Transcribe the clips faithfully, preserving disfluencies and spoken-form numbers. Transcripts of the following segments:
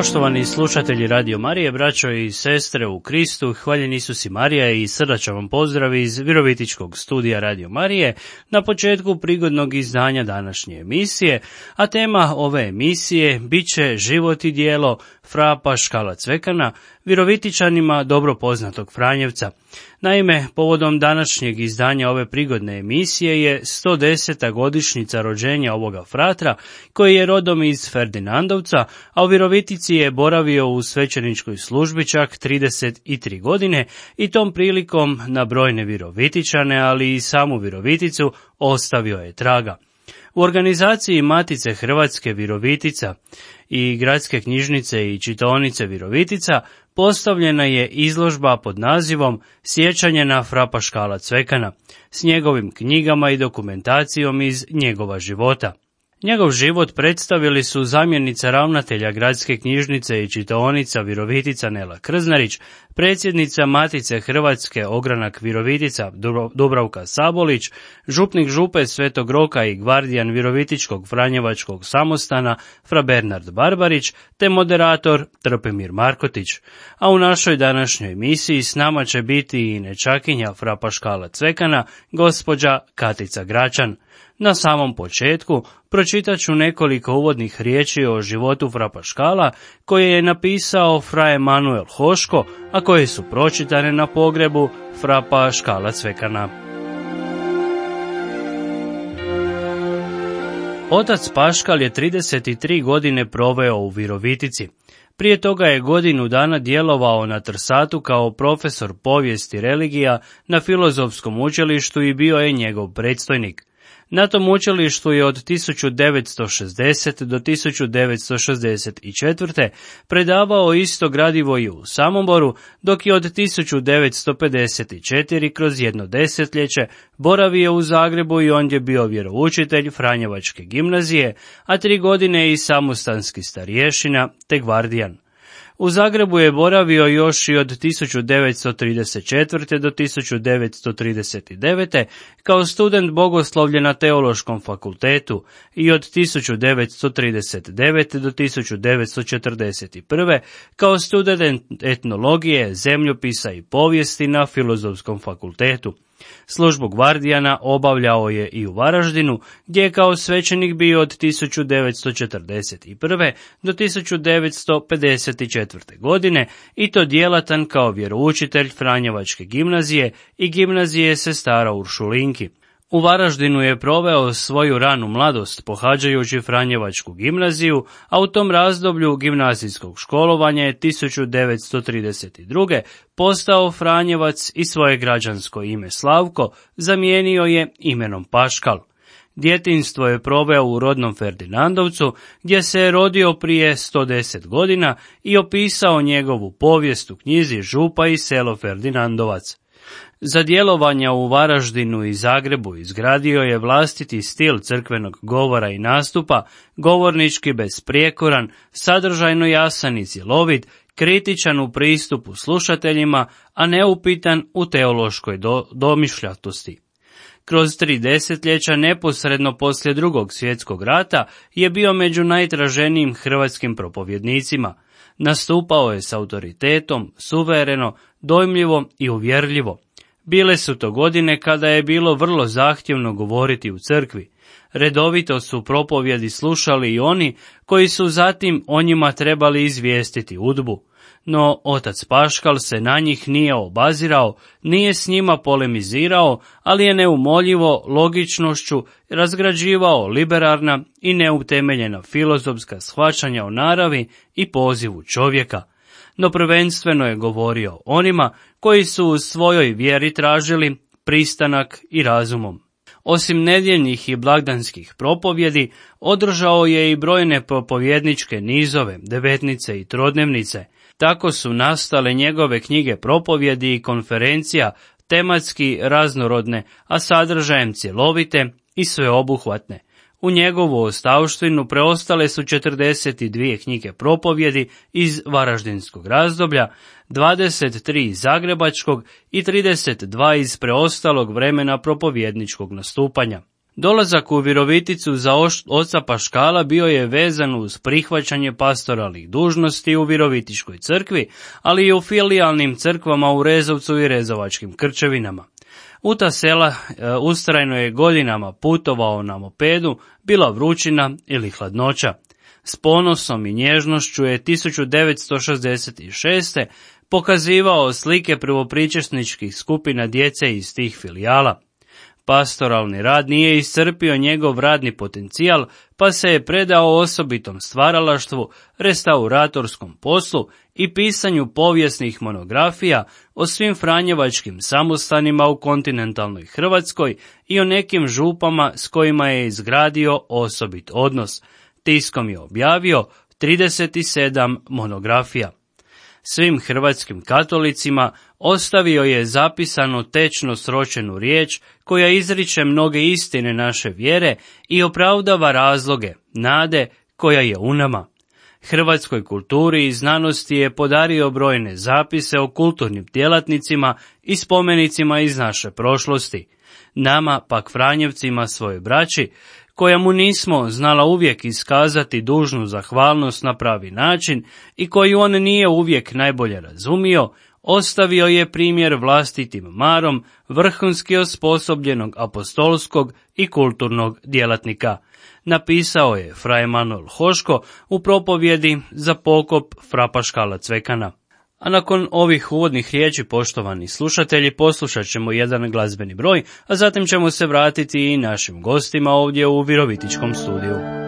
Poštovani slušatelji Radio Marije, braćo i sestre u Kristu, hvaljen Isus i Marija i srdačan vam pozdrav iz Virovitičkog studija Radio Marije na početku prigodnog izdanja današnje emisije, a tema ove emisije bit će život i djelo fra Paškala Cvekana, Virovitičanima dobro poznatog Franjevca. Naime, povodom današnjeg izdanja ove prigodne emisije je sto deseta godišnjica rođenja ovoga fratra, koji je rodom iz Ferdinandovca, a u Virovitici je boravio u svećeničkoj službi čak trideset tri godine i tom prilikom na brojne Virovitičane, ali i samu Viroviticu ostavio je traga. U organizaciji Matice Hrvatske Virovitica i Gradske knjižnice i čitaonice Virovitica postavljena je izložba pod nazivom Sjećanje na fra Paškala Cvekana s njegovim knjigama i dokumentacijom iz njegova života. Njegov život predstavili su zamjenica ravnatelja Gradske knjižnice i čitaonica Virovitica Nela Krznarić, predsjednica Matice Hrvatske Ogranak Virovitica Dubravka Sabolić, župnik župe Svetog Roka i gvardijan Virovitičkog Franjevačkog samostana fra Bernard Barbarić, te moderator Trpimir Markotić. A u našoj današnjoj emisiji s nama će biti i nečakinja fra Paškala Cvekana, gospođa Katica Gračan. Na samom početku pročitat ću nekoliko uvodnih riječi o životu fra Paškala koje je napisao fra Emanuel Hoško, a koje su pročitane na pogrebu fra Paškala Cvekana. Otac Paškal je trideset tri godine proveo u Virovitici. Prije toga je godinu dana djelovao na Trsatu kao profesor povijesti religija na Filozofskom učilištu i bio je njegov predstojnik. Na tom učilištu je od tisuću devetsto šezdesete do tisuću devetsto šezdeset četvrte. predavao isto gradivo i u Samoboru, dok je od tisuću devetsto pedeset četvrte kroz jedno desetljeće boravio u Zagrebu i ondje bio vjeroučitelj Franjevačke gimnazije, a tri godine i samostanski starješina te gvardijan. U Zagrebu je boravio još i od tisuću devetsto trideset četvrte. do tisuću devetsto trideset devete. kao student bogoslovlja na Teološkom fakultetu i od tisuću devetsto trideset devete. do tisuću devetsto četrdeset prve. kao student etnologije, zemljopisa i povijesti na Filozofskom fakultetu. Službu gvardijana obavljao je i u Varaždinu, gdje je kao svećenik bio od tisuću devetsto četrdeset prve. do tisuću devetsto pedeset četvrte. godine i to djelatan kao vjeroučitelj Franjevačke gimnazije i gimnazije sestara Uršulinki. U Varaždinu je proveo svoju ranu mladost pohađajući Franjevačku gimnaziju, a u tom razdoblju gimnazijskog školovanja je tisuću devetsto trideset druge. postao Franjevac i svoje građansko ime Slavko zamijenio je imenom Paškal. Djetinjstvo je proveo u rodnom Ferdinandovcu, gdje se je rodio prije sto deset godina i opisao njegovu povijest u knjizi Župa i selo Ferdinandovac. Za djelovanja u Varaždinu i Zagrebu izgradio je vlastiti stil crkvenog govora i nastupa, govornički besprijekoran, sadržajno jasan i cjelovit, kritičan u pristupu slušateljima, a neupitan u teološkoj do, domišljatosti. Kroz tri desetljeća neposredno poslije Drugog svjetskog rata je bio među najtraženijim hrvatskim propovjednicima. Nastupao je s autoritetom, suvereno, dojmljivo i uvjerljivo. Bile su to godine kada je bilo vrlo zahtjevno govoriti u crkvi. Redovito su propovjedi slušali i oni koji su zatim o njima trebali izvijestiti udbu. No otac Paškal se na njih nije obazirao, nije s njima polemizirao, ali je neumoljivo logičnošću razgrađivao liberarna i neutemeljena filozofska shvaćanja o naravi i pozivu čovjeka. No prvenstveno je govorio onima koji su u svojoj vjeri tražili pristanak i razumom. Osim nedjeljnih i blagdanskih propovjedi, održao je i brojne propovjedničke nizove, devetnice i trodnevnice. Tako su nastale njegove knjige propovjedi i konferencija, tematski raznorodne, a sadržajem cjelovite i sveobuhvatne. U njegovu ostavštinu preostale su četrdeset dvije knjige propovjedi iz varaždinskog razdoblja, dvadeset tri iz zagrebačkog i trideset dva iz preostalog vremena propovjedničkog nastupanja. Dolazak u Viroviticu za oca Paškala bio je vezan uz prihvaćanje pastoralnih dužnosti u Virovitičkoj crkvi, ali i u filijalnim crkvama u Rezovcu i Rezovačkim Krčevinama. U ta sela e, ustrajno je godinama putovao na mopedu, bila vrućina ili hladnoća. S ponosom i nježnošću je tisuću devetsto šezdeset šeste. pokazivao slike prvopričesničkih skupina djece iz tih filijala. Pastoralni rad nije iscrpio njegov radni potencijal, pa se je predao osobitom stvaralaštvu, restauratorskom poslu i pisanju povijesnih monografija o svim franjevačkim samostanima u kontinentalnoj Hrvatskoj i o nekim župama s kojima je izgradio osobit odnos. Tiskom je objavio trideset sedam monografija. Svim hrvatskim katolicima ostavio je zapisano tečno sročenu riječ koja izriče mnoge istine naše vjere i opravdava razloge, nade koja je u nama. Hrvatskoj kulturi i znanosti je podario brojne zapise o kulturnim djelatnicima i spomenicima iz naše prošlosti. Nama, pak Franjevcima, svoje braći, koja mu nismo znala uvijek iskazati dužnu zahvalnost na pravi način i koju on nije uvijek najbolje razumio, ostavio je primjer vlastitim marom vrhunski osposobljenog apostolskog i kulturnog djelatnika. Napisao je fra Emanuel Hoško u propovjedi za pokop fra Paškala Cvekana. A nakon ovih uvodnih riječi, poštovani slušatelji, poslušat ćemo jedan glazbeni broj, a zatim ćemo se vratiti i našim gostima ovdje u Virovitičkom studiju. Sorry.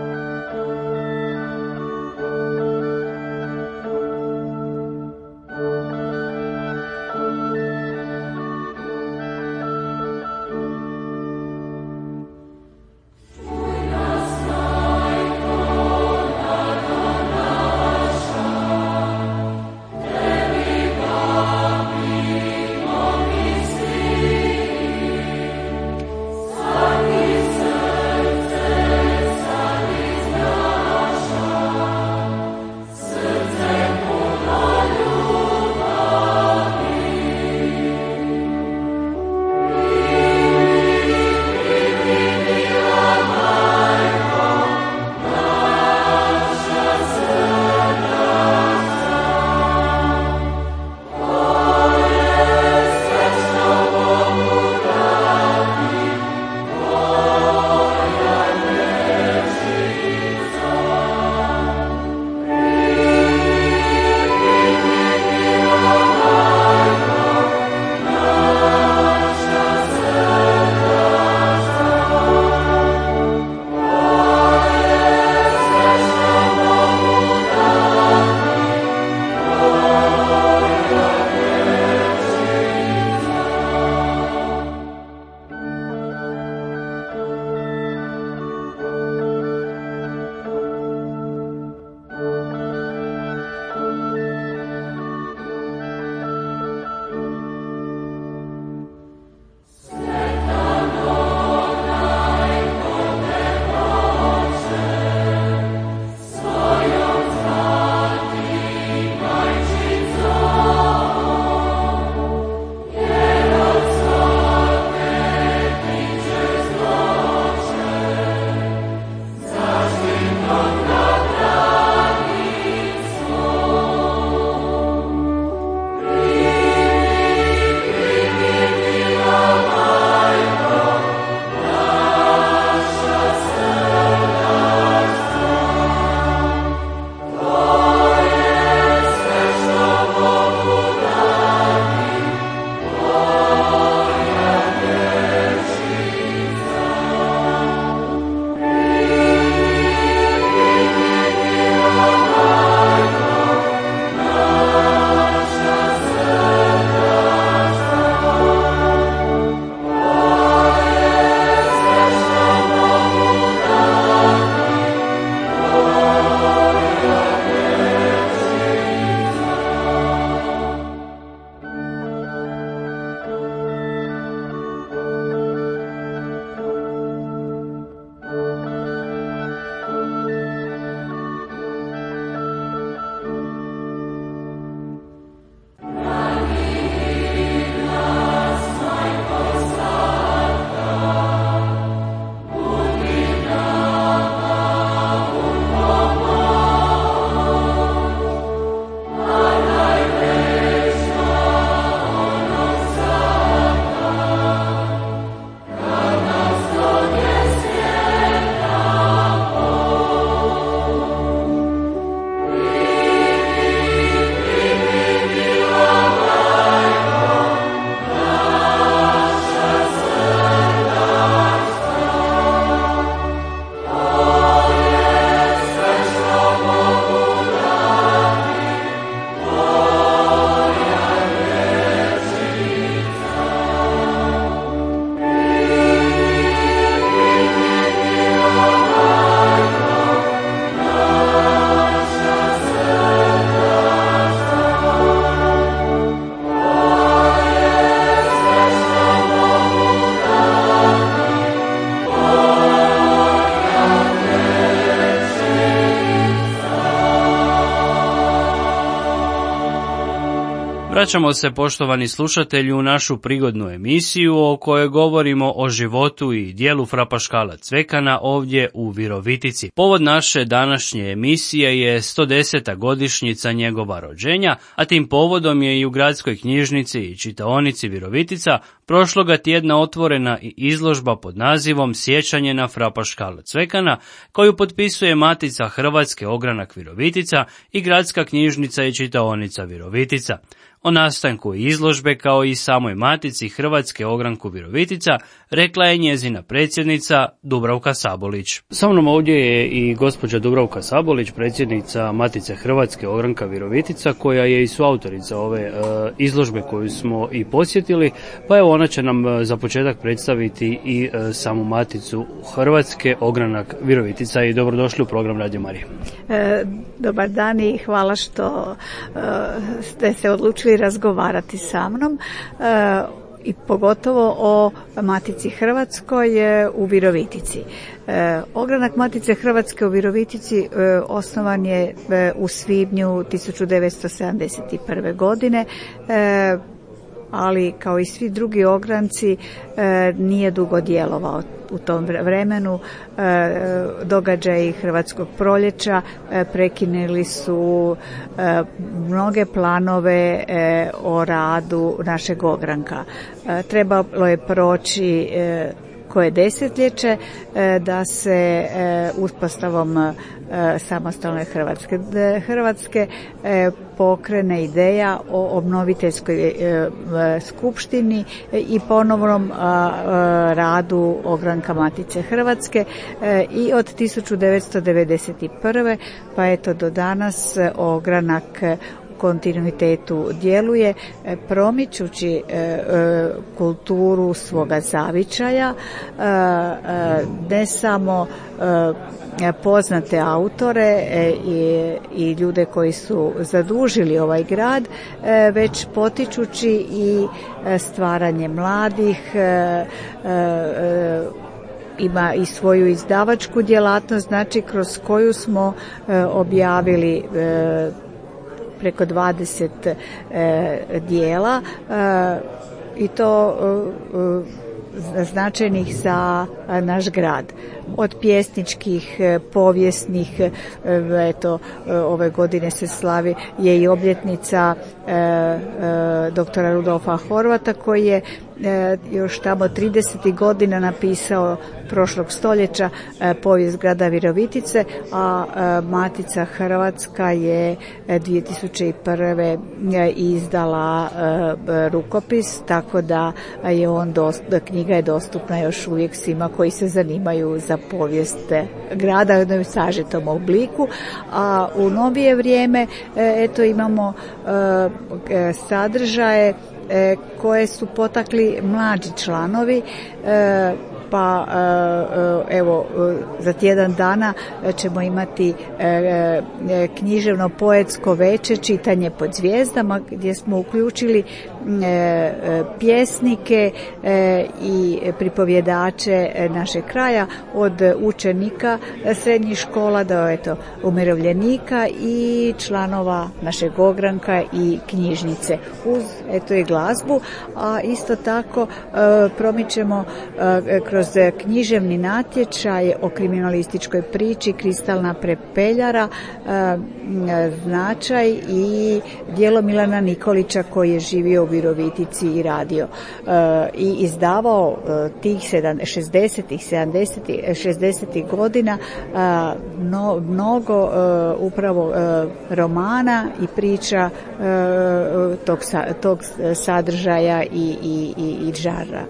Vraćamo se, poštovani slušatelji, u našu prigodnu emisiju o kojoj govorimo o životu i dijelu frapaškala Cvekana ovdje u Virovitici. Povod naše današnje emisije je sto deseta godišnjica njegova rođenja, a tim povodom je i u gradskoj knjižnici i čitaonici Virovitica prošloga tjedna otvorena i izložba pod nazivom Sjećanje na frapaškala Cvekana, koju potpisuje Matica Hrvatske ogranak Virovitica i gradska knjižnica i čitaonica Virovitica. O nastanku izložbe kao i samoj Matici Hrvatske ogranku Virovitica rekla je njezina predsjednica Dubravka Sabolić. Sa mnom ovdje je i gospođa Dubravka Sabolić, predsjednica Matice Hrvatske ogranka Virovitica, koja je i suautorica ove e, izložbe koju smo i posjetili, pa evo ona će nam e, za početak predstaviti i e, samu Maticu Hrvatske ogranak Virovitica. I dobrodošli u program Radio Marija. E, dobar dan i hvala što e, ste se odlučili razgovarati sa mnom e, i pogotovo o Matici Hrvatskoj e, u Virovitici. E, ogranak Matice Hrvatske u Virovitici e, osnovan je e, u svibnju tisuću devetsto sedamdeset prve. godine, e, ali kao i svi drugi ogranci e, nije dugo djelovao u tom vremenu. E, događaji Hrvatskog proljeća e, prekinuli su e, mnoge planove e, o radu našeg ogranka. E, trebalo je proći e, koje desetljeće e, da se e, uspostavom e, samostalne Hrvatske, Hrvatske e, pokrene ideja o obnoviteljskoj e, skupštini i ponovnom a, a, radu ogranka Matice Hrvatske e, i od tisuću devetsto devedeset prve. pa eto do danas ogranak kontinuitetu djeluje, promičući e, e, kulturu svoga zavičaja, e, e, ne samo e, poznate autore e, i, i ljude koji su zadužili ovaj grad, e, već potičući i stvaranje mladih, e, e, ima i svoju izdavačku djelatnost, znači kroz koju smo e, objavili e, preko dvadeset e, dijela e, i to e, značajnih za naš grad. Od pjesničkih, povijesnih, eto, ove godine se slavi je i obljetnica e, e, doktora Rudolfa Horvata, koji je e, još tamo tridesetih godina napisao prošlog stoljeća e, povijest grada Virovitice, a e, Matica Hrvatska je dvije tisuće prve. izdala e, rukopis, tako da je on dost, da knjiga je dostupna još uvijek svima koji se zanimaju za povijest grada u jednom sažetom obliku. A u novije vrijeme eto imamo e, sadržaje e, koje su potakli mlađi članovi, e, pa evo za tjedan dana ćemo imati književno poetsko veče čitanje pod zvijezdama, gdje smo uključili pjesnike i pripovjedače našeg kraja, od učenika srednjih škola do eto umirovljenika i članova našeg ogranka i knjižnice, uz eto i glazbu. A isto tako promičemo kroz književni natječaj o kriminalističkoj priči Kristalna prepeljara značaj i djelo Milana Nikolića, koji je živio u Virovitici i radio i izdavao tih šezdesetih, sedamdesetih, šezdesetih godina mnogo upravo romana i priča tog, tog sadržaja i, i, i, i žara.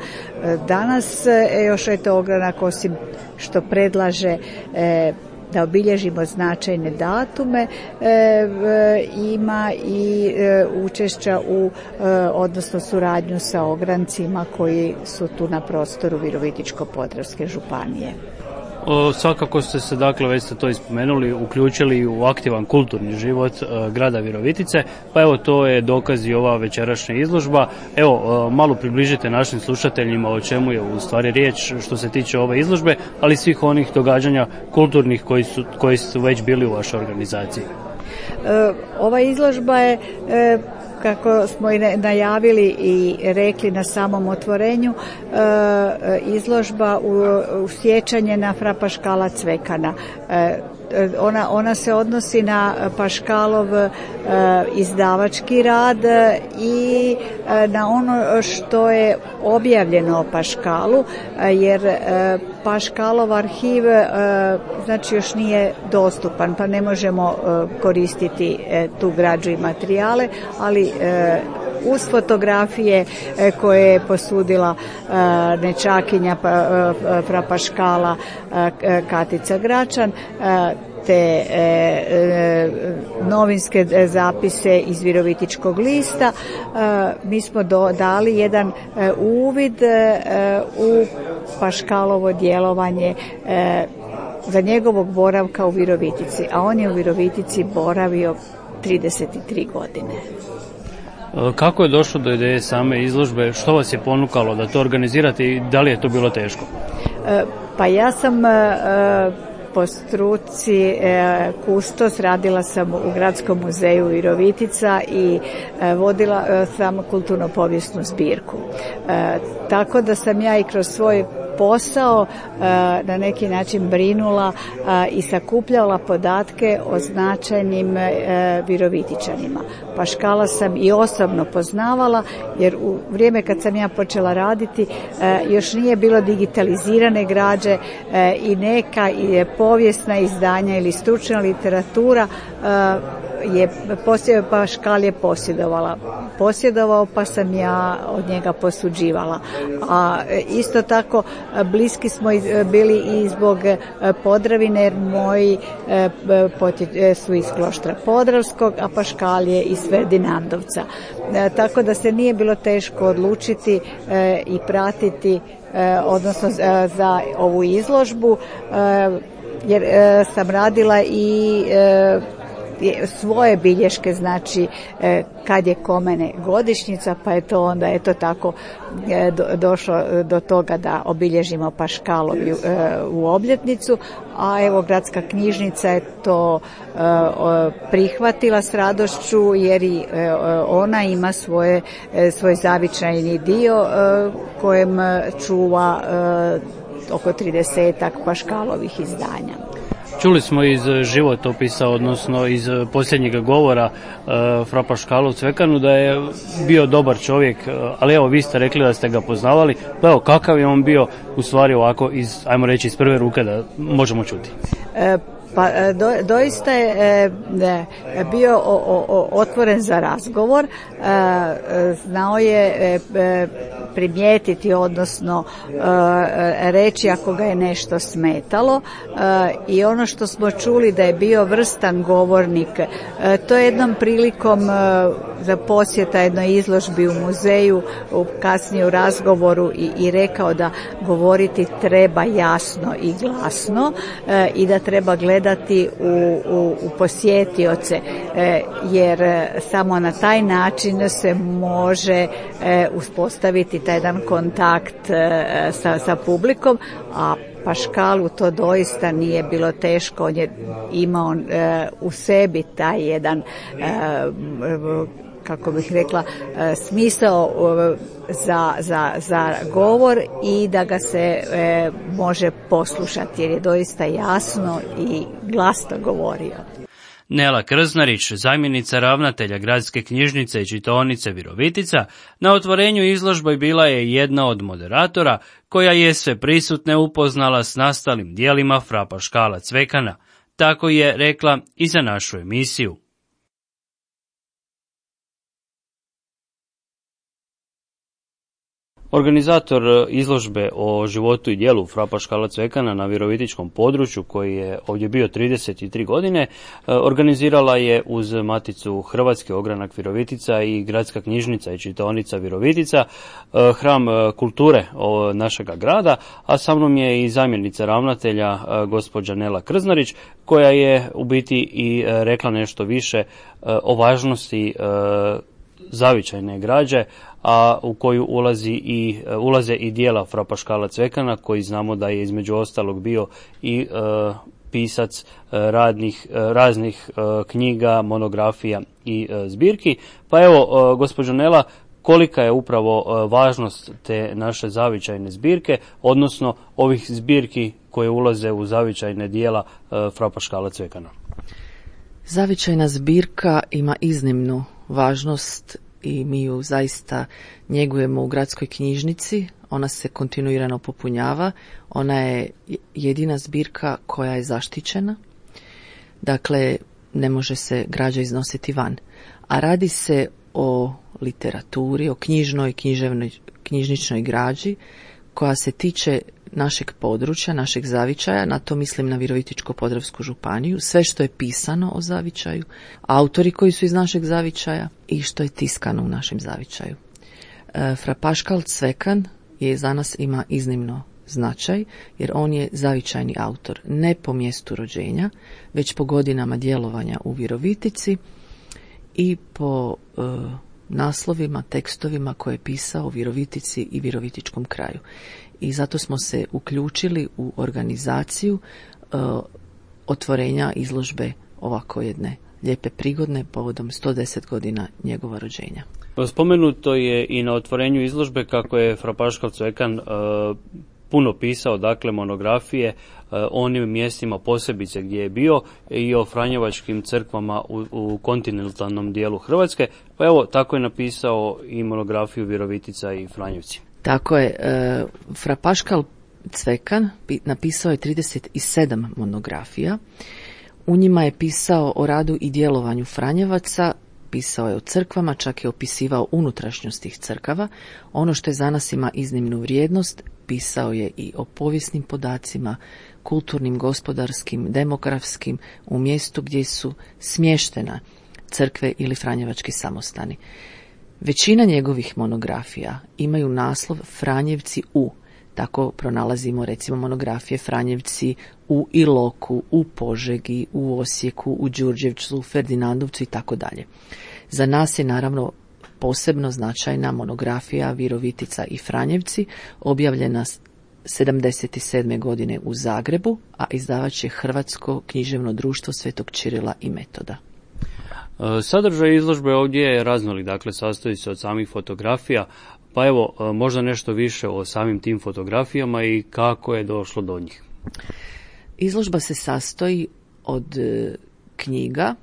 Danas još eto ogranak, osim što predlaže e, da obilježimo značajne datume, e, e, ima i e, učešća u, e, odnosno suradnju sa ograncima koji su tu na prostoru Virovitičko-podravske županije. O, svakako ste se, dakle, već ste to ispomenuli, uključili u aktivan kulturni život e, grada Virovitice, pa evo to je dokaz i ova večerašnja izložba. Evo, e, malo približite našim slušateljima o čemu je u stvari riječ što se tiče ove izložbe, ali svih onih događanja kulturnih koji su, koji su već bili u vašoj organizaciji. E, ova izložba je e, kako smo i najavili i rekli na samom otvorenju, izložba u sjećanje na fra Paškala Cvekana. Ona, ona se odnosi na Paškalov e, izdavački rad i e, na ono što je objavljeno o Paškalu, e, jer e, Paškalov arhiv e, znači još nije dostupan, pa ne možemo e, koristiti e, tu građu i materijale, ali e, uz fotografije e, koje je posudila e, nečakinja pa, e, fra Paškala e, Katica Gračan, e, te e, e, novinske zapise iz Virovitičkog lista, e, mi smo do, dali jedan e, uvid e, u Paškalovo djelovanje e, za njegovog boravka u Virovitici, a on je u Virovitici boravio trideset tri godine. Kako je došlo do ideje same izložbe? Što vas je ponukalo da to organizirate i da li je to bilo teško? E, pa ja sam e, po struci e, kustos, radila sam u Gradskom muzeju Virovitica i e, vodila e, sam kulturno-povijesnu zbirku. E, tako da sam ja i kroz svoj posao e, na neki način brinula e, i sakupljala podatke o značajnim e, Virovitičanima. Paškala sam i osobno poznavala, jer u vrijeme kad sam ja počela raditi e, još nije bilo digitalizirane građe e, i neka je povijesna izdanja ili stručna literatura e, je posje, Paškal je posjedovala. Posjedovao pa sam ja od njega posuđivala. A isto tako bliski smo bili i zbog Podravine, jer moji su iz Kloštra Podravskog, a Paškal je iz Ferdinandovca. Tako da se nije bilo teško odlučiti i pratiti, odnosno za ovu izložbu, jer sam radila i svoje bilješke, znači kad je kome godišnjica, pa je to onda eto tako došlo do toga da obilježimo Paškalovu u obljetnicu, a evo Gradska knjižnica je to prihvatila s radošću, jer i ona ima svoje, svoj zavičajni dio kojem čuva oko tridesetak Paškalovih izdanja. Čuli smo iz životopisa, odnosno iz posljednjeg govora uh, fra Paškalu Cvekanu da je bio dobar čovjek, uh, ali evo vi ste rekli da ste ga poznavali, pa evo kakav je on bio u stvari ovako iz, ajmo reći, iz prve ruke da možemo čuti. E, Pa do, doista je e, bio o, o, otvoren za razgovor, e, znao je e, primijetiti, odnosno e, reći ako ga je nešto smetalo, e, i ono što smo čuli da je bio vrstan govornik, e, to je jednom prilikom e, za posjeta jednoj izložbi u muzeju, u kasnije u razgovoru i, i rekao da govoriti treba jasno i glasno e, i da treba gledati U, u, u posjetioce, e, jer samo na taj način se može e, uspostaviti taj jedan kontakt e, sa, sa publikom, a Paškalu to doista nije bilo teško. On je imao e, u sebi taj jedan e, kako bih rekla, smisao za, za, za govor i da ga se e, može poslušati, jer je doista jasno i glasno govorio. Nela Krznarić, zamjenica ravnatelja Gradske knjižnice i čitaonice Virovitica, na otvorenju izložbe bila je jedna od moderatora koja je sve prisutne upoznala s nastalim dijelima fra Paškala Cvekana. Tako je rekla i za našu emisiju. Organizator izložbe o životu i djelu fra Paškala Cvekana na virovitičkom području, koji je ovdje bio trideset tri godine, organizirala je uz Maticu Hrvatske ogranak Virovitica i Gradska knjižnica i čitaonica Virovitica, hram kulture našega grada, a sa mnom je i zamjenica ravnatelja gospođa Nela Krznarić, koja je u biti i rekla nešto više o važnosti zavičajne građe, a u koju ulazi i, ulaze i dijela fra Paškala Cvekana, koji znamo da je između ostalog bio i uh, pisac radnih, raznih knjiga, monografija i zbirki. Pa evo, gospođo Nela, kolika je upravo važnost te naše zavičajne zbirke, odnosno ovih zbirki koje ulaze u zavičajne dijela fra Paškala Cvekana? Zavičajna zbirka ima iznimnu važnost i mi ju zaista njegujemo u gradskoj knjižnici. Ona se kontinuirano popunjava. Ona je jedina zbirka koja je zaštićena. Dakle, ne može se građa iznositi van. A radi se o literaturi, o knjižnoj, književnoj, knjižničnoj građi koja se tiče našeg područja, našeg zavičaja, na to mislim na Virovitičko-podravsku županiju, sve što je pisano o zavičaju, autori koji su iz našeg zavičaja i što je tiskano u našem zavičaju. E, Fra Paškal Cvekan je za nas ima iznimno značaj, jer on je zavičajni autor, ne po mjestu rođenja, već po godinama djelovanja u Virovitici i po e, naslovima, tekstovima koje je pisao u Virovitici i Virovitičkom kraju. I zato smo se uključili u organizaciju e, otvorenja izložbe ovako jedne lijepe prigodne povodom sto deset godina njegova rođenja. Spomenuto je i na otvorenju izložbe kako je Fra Paškal Cvekan e, puno pisao, dakle, monografije o onim mjestima posebice gdje je bio i o franjevačkim crkvama u, u kontinentalnom dijelu Hrvatske, pa evo tako je napisao i monografiju Virovitica i Franjevci. Tako je, e, Fra Paškal Cvekan napisao je trideset sedam monografija. U njima je pisao o radu i djelovanju Franjevaca, pisao je o crkvama, čak je opisivao unutrašnjost tih crkava. Ono što je za nas ima iznimnu vrijednost, pisao je i o povijesnim podacima, kulturnim, gospodarskim, demografskim, u mjestu gdje su smještena crkve ili franjevački samostani. Većina njegovih monografija imaju naslov Franjevci u. Tako pronalazimo recimo monografije Franjevci u Iloku, u Požegi, u Osijeku, u Đurđevcu, u Ferdinandovcu i tako dalje. Za nas je naravno posebno značajna monografija Virovitica i Franjevci, objavljena sedamdeset sedme godine u Zagrebu, a izdavač je Hrvatsko književno društvo Svetog Čirila i Metoda. Sadržaj izložbe ovdje je raznolik, dakle sastoji se od samih fotografija, pa evo možda nešto više o samim tim fotografijama i kako je došlo do njih. Izložba se sastoji od knjiga,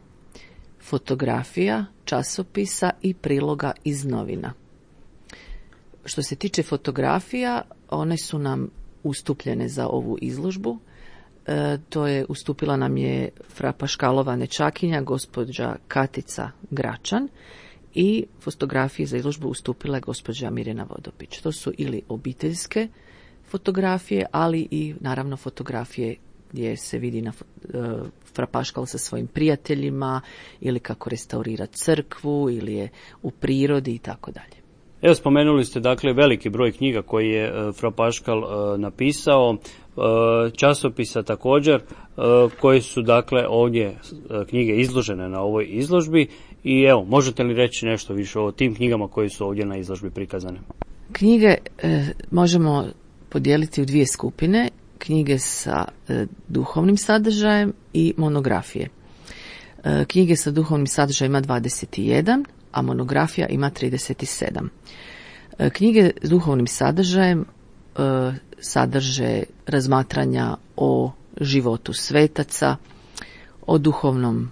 fotografija, časopisa i priloga iz novina. Što se tiče fotografija, one su nam ustupljene za ovu izložbu. E, to je ustupila nam je Fra Paškalova nećakinja, gospođa Katica Gračan, i fotografije za izložbu ustupila je gospođa Mirjana Vodopić. To su ili obiteljske fotografije, ali i naravno fotografije gdje se vidi na uh, Fra Paškal sa svojim prijateljima, ili kako restaurira crkvu, ili je u prirodi i tako dalje. Evo, spomenuli ste dakle veliki broj knjiga koji je uh, Fra Paškal uh, napisao, uh, časopisa također, uh, koji su dakle ovdje uh, knjige izložene na ovoj izložbi, i evo, možete li reći nešto više o tim knjigama koje su ovdje na izložbi prikazane? Knjige uh, možemo podijeliti u dvije skupine. Knjige sa e, duhovnim sadržajem i monografije. E, knjige sa duhovnim sadržajem ima dvadeset jedan, a monografija ima trideset sedam. E, knjige s duhovnim sadržajem e, sadrže razmatranja o životu svetaca, o duhovnom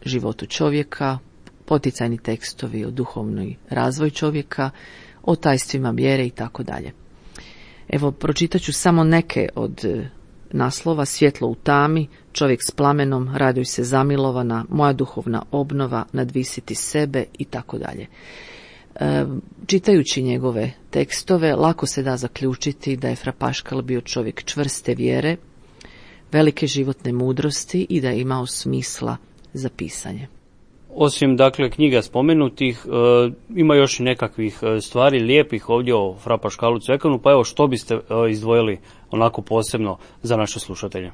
životu čovjeka, poticajni tekstovi o duhovnoj razvoj čovjeka, o tajstvima vjere i tako dalje. Evo, pročitat ću samo neke od naslova: Svjetlo u tami, Čovjek s plamenom, Raduj se zamilovana, Moja duhovna obnova, Nadvisiti sebe i tako dalje. E, čitajući njegove tekstove, lako se da zaključiti da je Fra Paškal bio čovjek čvrste vjere, velike životne mudrosti i da je imao smisla za pisanje. Osim dakle knjiga spomenutih, e, ima još i nekakvih stvari lijepih ovdje o Fra Paškalu Cvekanu, pa evo što biste e, izdvojili onako posebno za naše slušatelje?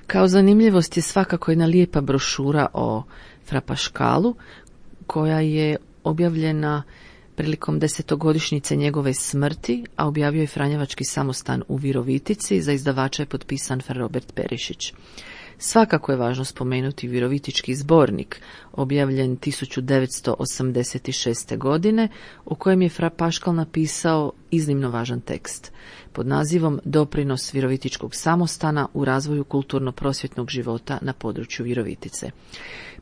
Kao zanimljivost je svakako jedna lijepa brošura o Fra Paškalu koja je objavljena prilikom desetogodišnjice njegove smrti, a objavio je Franjevački samostan u Virovitici, za izdavača je potpisan Fra Robert Perišić. Svakako je važno spomenuti Virovitički zbornik, objavljen tisuću devetsto osamdeset šeste. godine, u kojem je Fra Paškal napisao iznimno važan tekst pod nazivom Doprinos Virovitičkog samostana u razvoju kulturno-prosvjetnog života na području Virovitice.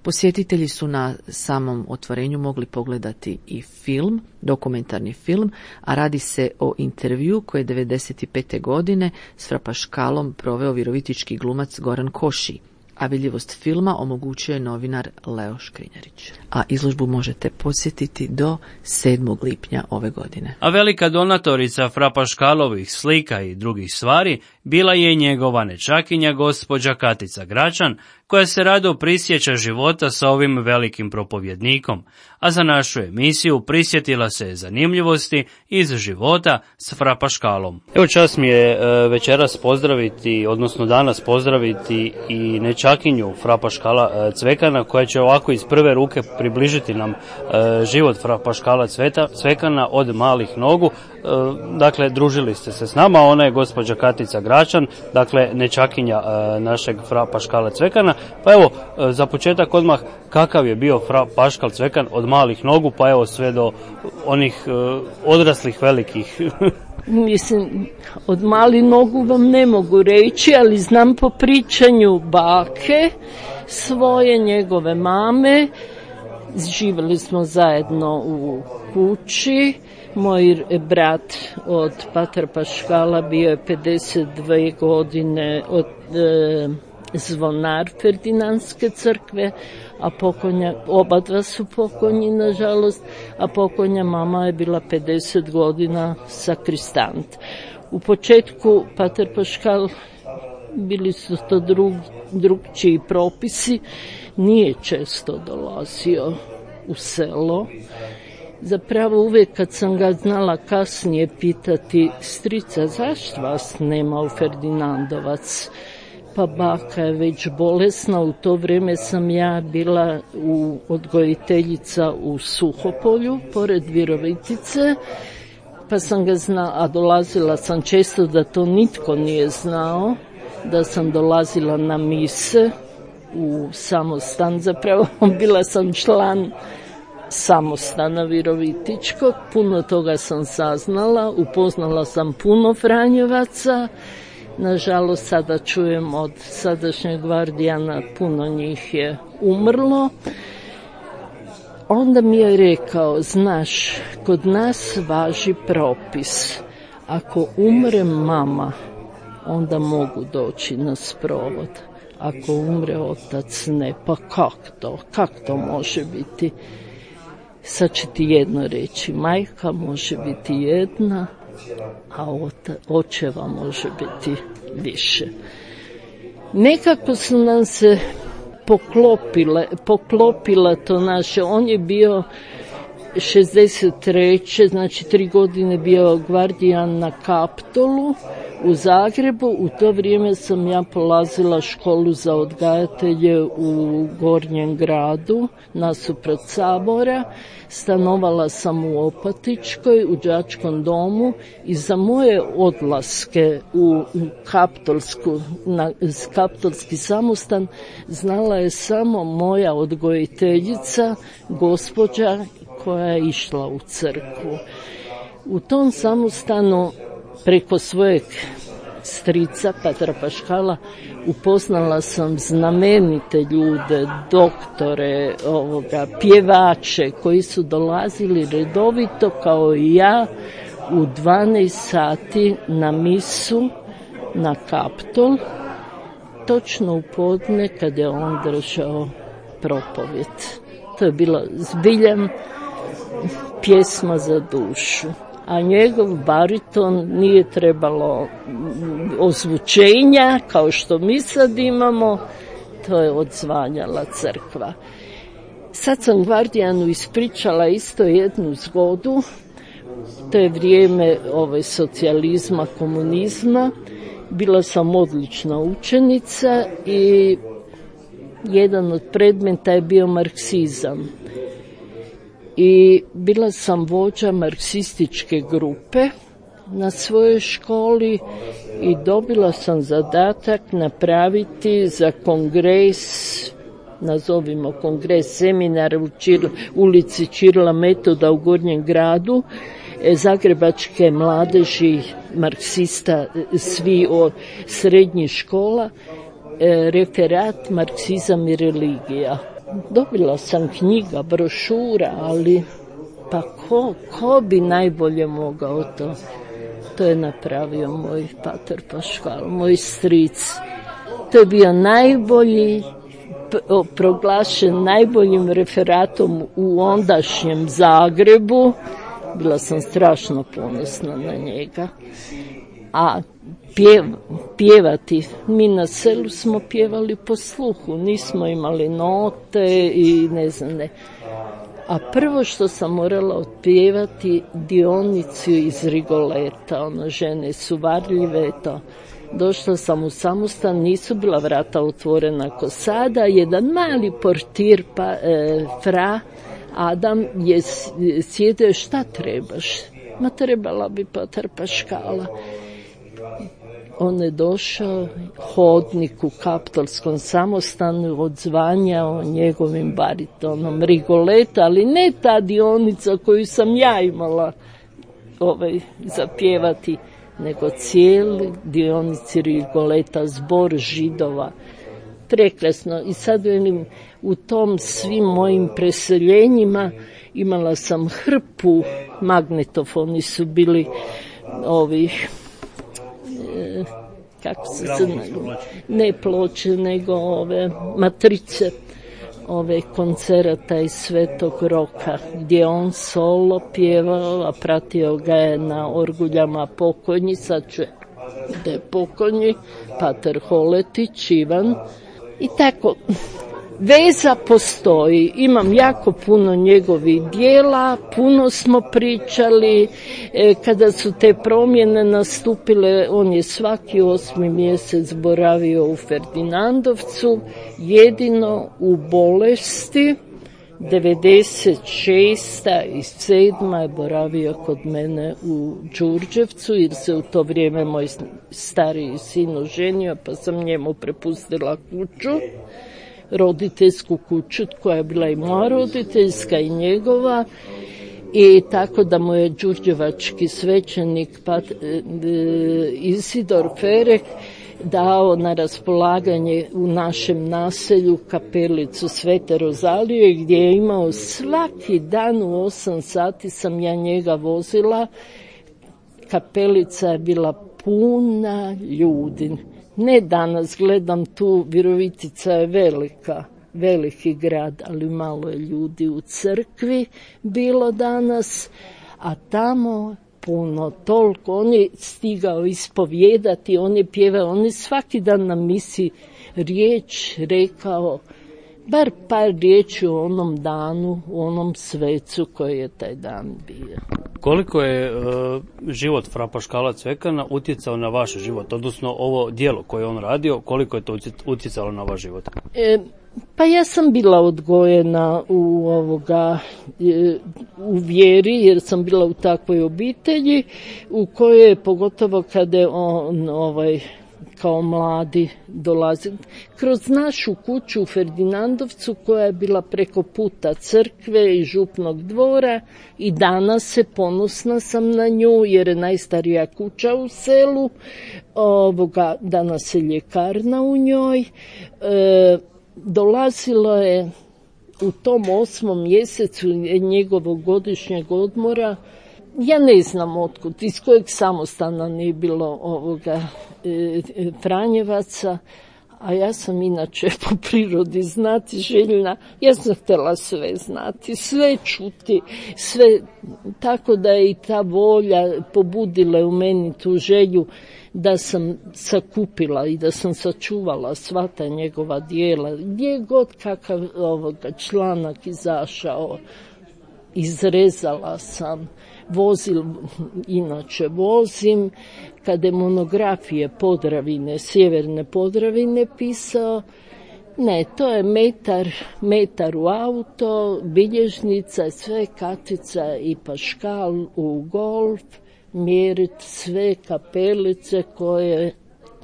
Posjetitelji su na samom otvorenju mogli pogledati i film, dokumentarni film, a radi se o intervju koji je devedeset pete. godine s Fra Paškalom proveo virovitički glumac Goran Koši, a vidljivost filma omogućio je novinar Leo Škrinjarić. A izložbu možete posjetiti do sedmog lipnja ove godine. A velika donatorica Fra Paškalovih slika i drugih stvari bila je njegova nečakinja gospođa Katica Gračan, koja se rado prisjeća života sa ovim velikim propovjednikom, a za našu emisiju prisjetila se zanimljivosti iz života s Fra Paškalom. Evo, čast mi je večeras pozdraviti, odnosno danas pozdraviti i nečakinju Fra Paškala Cvekana, koja će ovako iz prve ruke približiti nam život Fra Paškala Cvekana od malih nogu. Dakle, družili ste se s nama, ona je gospođa Katica Gračan, dakle nečakinja našeg Fra Paškala Cvekana. Pa evo, za početak odmah, kakav je bio Fra Paškal Cvekan od malih nogu, pa evo sve do onih odraslih velikih? Mislim, od malih nogu vam ne mogu reći, ali znam po pričanju bake svoje, njegove mame. Živjeli smo zajedno u kući. Moj brat od Patra Paškala bio je pedeset dvije godine od e, zvonar Ferdinandske crkve, a pokonja, oba dva su pokojni, nažalost, a pokonja mama je bila pedeset godina sakristant. U početku Patar Paškal, bili su to drug, drugčiji propisi, nije često dolazio u selo. Zapravo uvijek kad sam ga znala kasnije pitati, strica, zašto vas nema u Ferdinandovac? Pa baka je već bolesna, u to vrijeme sam ja bila u odgojiteljica u Suhopolju, pored Virovitice, pa sam ga znala, a dolazila sam često, da to nitko nije znao, da sam dolazila na mise u samostan, zapravo bila sam član samostana Virovitičkog, puno toga sam saznala, upoznala sam puno Franjevaca, nažalost sada čujem od sadašnjeg gvardijana, puno njih je umrlo. Onda mi je rekao, znaš, kod nas važi propis, ako umre mama, onda mogu doći na sprovod, ako umre otac ne, pa kak to, kak to može biti? Sad ću ti jedno reći, majka može biti jedna, a ota, očeva može biti više. Nekako su nam se poklopile, poklopila to naše, on je bio šezdeset treće znači tri godine bio gvardijan na Kaptolu u Zagrebu. U to vrijeme sam ja polazila školu za odgajatelje u Gornjem gradu, nasuprot Sabora. Stanovala sam u Opatičkoj, u đačkom domu, i za moje odlaske u Kaptolsku, na Kaptolski samostan znala je samo moja odgojiteljica, gospođa koja je išla u crkvu. U tom samostanu preko svojeg strica Patra Paškala upoznala sam znamenite ljude, doktore, ovoga, pjevače koji su dolazili redovito kao i ja u dvanaest sati na misu na Kaptol, točno u podne kad je on držao propovjed. To je bilo zbiljan pjesma za dušu. A njegov bariton nije trebalo ozvučenja kao što mi sad imamo, to je odzvanjala crkva. Sad sam gvardijanu ispričala isto jednu zgodu, to je vrijeme ove socijalizma, komunizma, bila sam odlična učenica i jedan od predmeta je bio marksizam. i bila sam vođa marksističke grupe na svojoj školi i dobila sam zadatak napraviti za kongres, nazovimo kongres, seminar u Čir, ulici Čirila Metoda u Gornjem gradu, zagrebačke mladeži marksista, svi od srednjih škola, referat Marksizam i religija. Dobila sam knjiga, brošura, ali pa ko, ko bi najbolje mogao to? To je napravio moj pater Paškal, moj stric. To je bio najbolji, proglašen najboljim referatom u ondašnjem Zagrebu. Bila sam strašno ponosna na njega. A pjev, pjevati, mi na selu smo pjevali po sluhu, nismo imali note i ne znam ne. A prvo što sam morala otpjevati Dionicu iz Rigoleta, ono žene su varljive, to. Došla sam u samostan, nisu bila vrata otvorena ko sada, jedan mali portir, pa, e, fra, Adam je sjedio, šta trebaš? Ma trebala bi pater Paškala. On je došao, hodnik u kaptolskom samostanu, odzvanjao njegovim baritonom Rigoleta, ali ne ta Dionica koju sam ja imala ovaj, zapjevati, nego cijeli Dionici Rigoleta, zbor židova. Prekrasno. I sad velim, u tom svim mojim preseljenjima imala sam hrpu, magnetofoni su bili ovih, e, kako se se ne ploče, nego ove matrice, ove koncerata iz Svetog Roka, gdje on solo pjevao, a pratio ga je na orguljama pokojni, sad ću da je pokojni, pater Holetić, Ivan. I tako, veza postoji, imam jako puno njegovih dijela, puno smo pričali, e, kada su te promjene nastupile, on je svaki osmi mjesec boravio u Ferdinandovcu, jedino u bolesti, devedeset šesta i sedma je boravio kod mene u Đurđevcu, jer se u to vrijeme moj stariji sin oženio, pa sam njemu prepustila kuću, roditeljsku kuću, koja je bila i moja roditeljska i njegova, i tako da mu je đurđevački svećenik Pat, e, Isidor Ferek dao na raspolaganje u našem naselju kapelicu Svete Rozalije, gdje je imao svaki dan u osam sati sam ja njega vozila. Kapelica je bila puna ljudi. Ne danas, gledam tu, Virovitica je velika, veliki grad, ali malo je ljudi u crkvi bilo danas, a tamo puno, toliko, on je stigao ispovijedati, on je pjevao, on je svaki dan na misi riječ rekao, bar par riječi o onom danu, o onom svecu koji je taj dan bio. Koliko je uh, život fra Paškala Cvekana utjecao na vaš život, odnosno ovo djelo koje on radio, koliko je to utjecalo na vaš život? E, Pa ja sam bila odgojena u ovoga u vjeri, jer sam bila u takvoj obitelji u kojoj, pogotovo kada je on ovaj kao mladi dolazi kroz našu kuću u Ferdinandovcu, koja je bila preko puta crkve i župnog dvora, i danas se ponosna sam na nju jer je najstarija kuća u selu. Ovoga, danas je ljekarna u njoj. E, dolazilo je u tom osmom mjesecu njegovog godišnjeg odmora, ja ne znam otkud, iz kojeg samostana nije bilo ovoga e, e, Franjevaca, a ja sam inače po prirodi znati željna, ja sam htjela sve znati, sve čuti, sve, tako da je i ta volja pobudila u meni tu želju da sam sakupila i da sam sačuvala sva ta njegova dijela, gdje god kakav ovoga članak izašao, izrezala sam. Vozil, inače vozim, kada je monografije Podravine, sjeverne Podravine pisao, Ne, to je metar, metar u auto, bilježnica, sve kartica i paškal u golf, mjeriti sve kapelice koje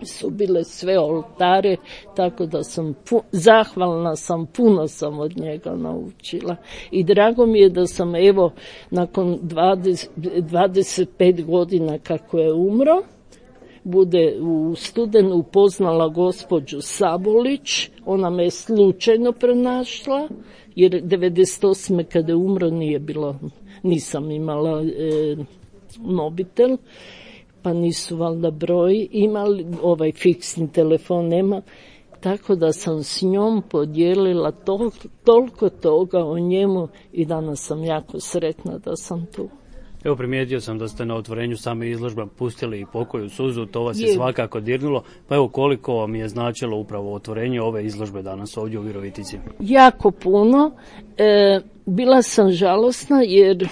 su bile sve oltare, tako da sam pu- zahvalna sam, puno sam od njega naučila. I drago mi je da sam evo nakon dvadeset, dvadeset pet godina kako je umro, bude u studenu upoznala gospođu Sabolić, ona me je slučajno pronašla, jer devedeset osme kada je umro nije bilo, nisam imala e, mobitel, pa nisu valjda broj imali, ovaj fiksni telefon nema, tako da sam s njom podijelila tol, toliko toga o njemu i danas sam jako sretna da sam tu. Evo, primijetio sam da ste na otvorenju same izložbe pustili i pokoju suzu, to vas je, je svakako dirnulo, pa evo koliko vam je značilo upravo otvorenje ove izložbe danas ovdje u Virovitici? Jako puno. E, bila sam žalosna jer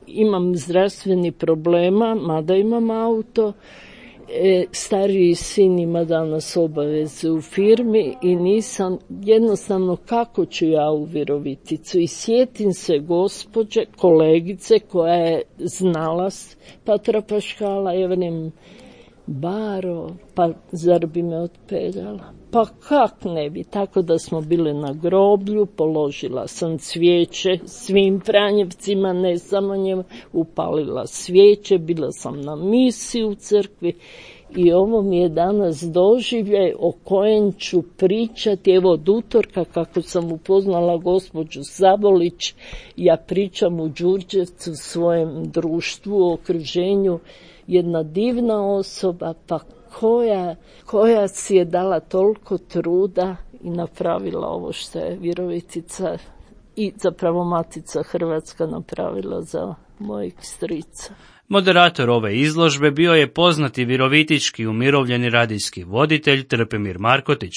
imam zdravstveni problema, mada imam auto. E, stariji sin ima danas obaveze u firmi i nisam, jednostavno kako ću ja u Viroviticu. I sjetim se gospođe, kolegice koja je znala Patra Paškala, ja velim, Baro, pa zar bi me otpeljala? Pa kak ne bi, tako da smo bile na groblju, položila sam cvijeće svim Franjevcima, ne samo njemu, upalila svijeće, bila sam na misi u crkvi i ovo mi je danas doživljaj o kojem ću pričati. Evo od utorka kako sam upoznala gospođu Sabolić, ja pričam u Đurđevcu, svojem društvu, okruženju, jedna divna osoba, pa koja, koja si je dala toliko truda i napravila ovo što je Virovitica i zapravo Matica Hrvatska napravila za mojeg strica. Moderator ove izložbe bio je poznati virovitički umirovljeni radijski voditelj Trpimir Markotić.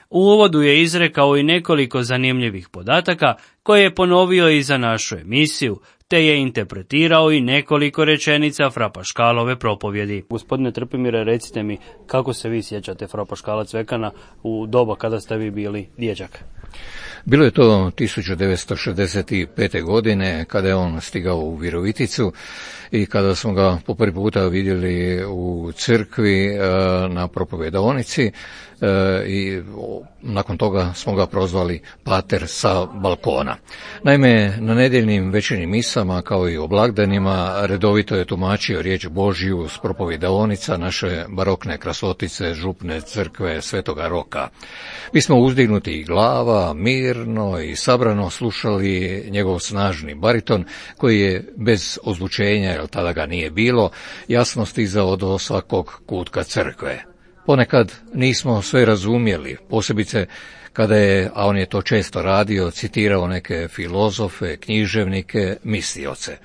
U uvodu je izrekao i nekoliko zanimljivih podataka koje je ponovio i za našu emisiju, te je interpretirao i nekoliko rečenica Fra Paškalove propovjedi. Gospodine Trpimire, recite mi kako se vi sjećate Fra Paškala Cvekana u doba kada ste vi bili dječak? Bilo je to tisuću devetsto šezdeset pete. godine kada je on stigao u Viroviticu i kada smo ga po prvi puta vidjeli u crkvi na propovjedaonici i nakon toga smo ga prozvali pater sa balkona. Naime, na nedjeljnim večernjim misama kao i o blagdanima redovito je tumačio riječ Božju s propovjedaonica naše barokne krasotice župne crkve Svetoga Roka. Mi smo uzdignuti glava, mirno i sabrano slušali njegov snažni bariton koji je bez ozvučenja, jer tada ga nije bilo, jasno stizao do svakog kutka crkve. Ponekad nismo sve razumjeli, posebice kada je, a on je to često radio, citirao neke filozofe, književnike, mislioce.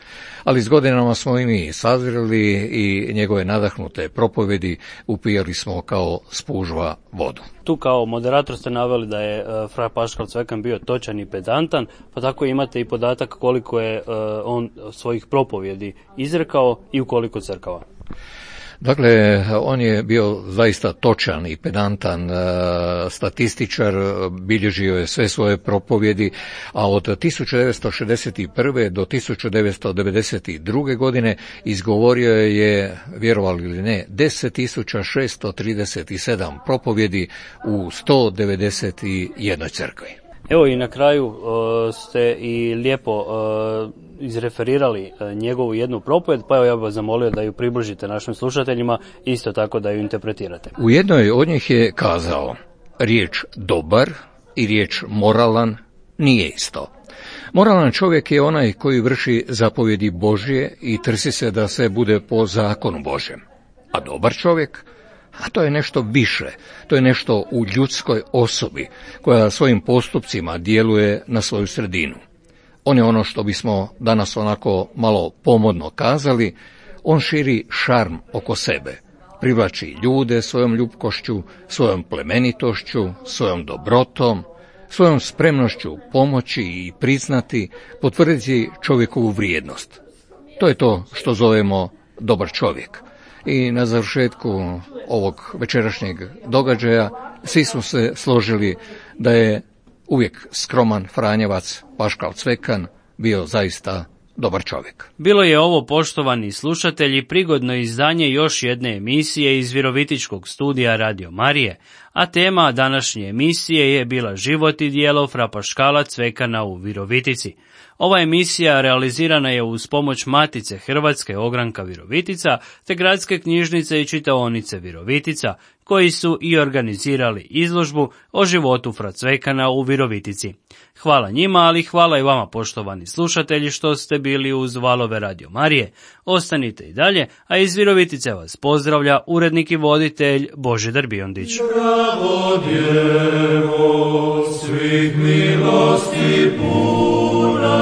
Ali s godinama smo i mi sazreli i njegove nadahnute propovjedi upijali smo kao spužva vodu. Tu kao moderator ste naveli da je uh, Fra Paškal Cvekan bio točan i pedantan, pa tako imate i podatak koliko je uh, on svojih propovjedi izrekao i u koliko crkava. Dakle, on je bio zaista točan i pedantan statističar, bilježio je sve svoje propovjedi, a od tisuću devetsto šezdeset prve. do tisuću devetsto devedeset druge. godine izgovorio je, vjerovali ili ne, deset tisuća šesto trideset sedam propovjedi u sto devedeset jednoj crkvi. Evo i na kraju uh, ste i lijepo uh, izreferirali uh, njegovu jednu propovjed, pa evo ja bih vas zamolio da ju približite našim slušateljima, isto tako da ju interpretirate. U jednoj od njih je kazao, riječ dobar i riječ moralan nije isto. Moralan čovjek je onaj koji vrši zapovjedi Božje i trsi se da se bude po zakonu Božjem. A dobar čovjek, a to je nešto više, to je nešto u ljudskoj osobi koja svojim postupcima djeluje na svoju sredinu. On je ono što bismo danas onako malo pomodno kazali, on širi šarm oko sebe, privlači ljude svojom ljubkošću, svojom plemenitošću, svojom dobrotom, svojom spremnošću pomoći i priznati, potvrditi čovjekovu vrijednost. To je to što zovemo dobar čovjek. I na završetku ovog večerašnjeg događaja svi smo se složili da je uvijek skroman Franjevac Paškal Cvekan bio zaista dobar čovjek. Bilo je ovo, poštovani slušatelji, prigodno izdanje još jedne emisije iz Virovitičkog studija Radio Marije, a tema današnje emisije je bila život i djelo fra Paškala Cvekana u Virovitici. Ova emisija realizirana je uz pomoć Matice Hrvatske Ogranka Virovitica te Gradske knjižnice i čitaonice Virovitica, koji su i organizirali izložbu o životu fra Cvekana u Virovitici. Hvala njima, ali hvala i vama, poštovani slušatelji, što ste bili uz valove Radio Marije. Ostanite i dalje, a iz Virovitice vas pozdravlja urednik i voditelj Božidar Biondić. Zdravo djevo, svih milosti puna,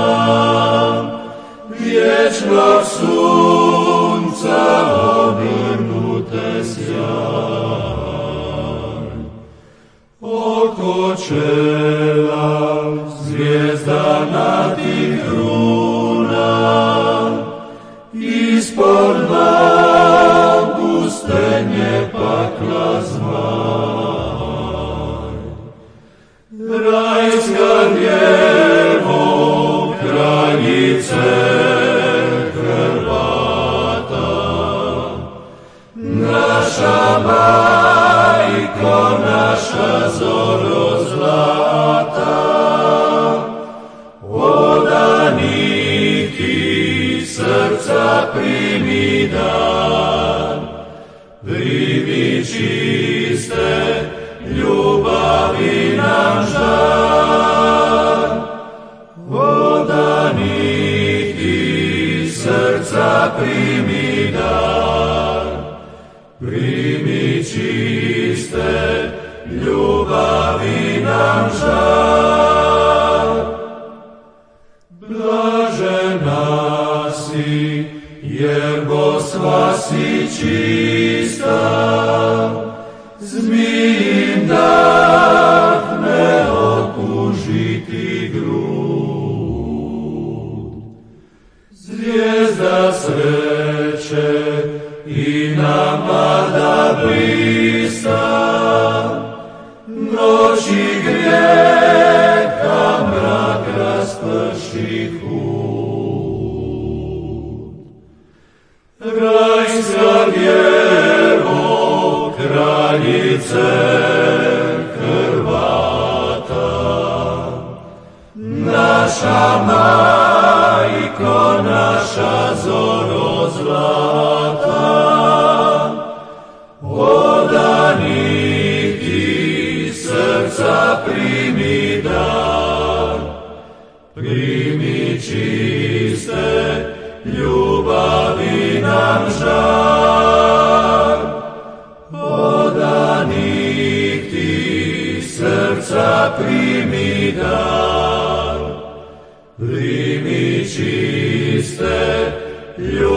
vječnog sunca obrnute sjaj, oko čela zvijezda na ti kruna, ispod nogu stenje pakla zmaj. Rajska djevo, kraljice Hrvata, naša majko, naša zoro zlata, odanih ti srca primi dan, primi čiste ljubavi nam žar. Odanih ti srca primi dan, primi čiste ljubavi nam žar. Blažena si, jer Bosva si čista, zmijim dah ne okužiti grud. Zvijezda sreće i nama da blista, noći grijeha mrak rasprši hud. Rajska djevo, kraljice Hrvata, naša majko, naša zoro zlata, odanih ti srca primi dar, primi čiste ljubavi nam žar. Odanih ti srca primi dar, primi čiste ljubavi